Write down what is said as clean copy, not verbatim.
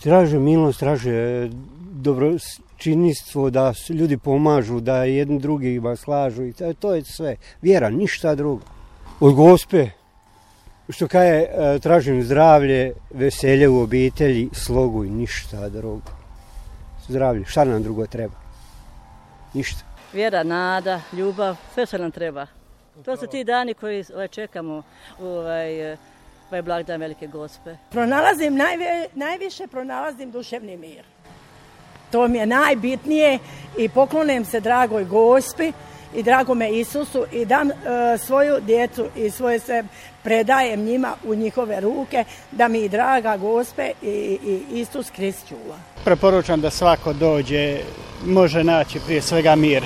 Traže milost, traže dobročinstvo, da ljudi pomažu, da jedni drugima slažu i to je sve. Vjera, ništa drugo. Od Gospe, što kaže, tražim zdravlje, veselje u obitelji, slogu i ništa drugo. Zdravlje, šta nam drugo treba? Ništa. Vjera, nada, ljubav, sve što nam treba. To su ti dani koji čekamo ovaj blagdan Velike Gospe. Najviše pronalazim duševni mir. To mi je najbitnije i poklonim se dragoj Gospi i dragome Isusu i dam svoju djecu i svoje sve predajem njima u njihove ruke da mi draga Gospe i Isus Krist čuva. Preporučam da svako dođe, može naći prije svega mir.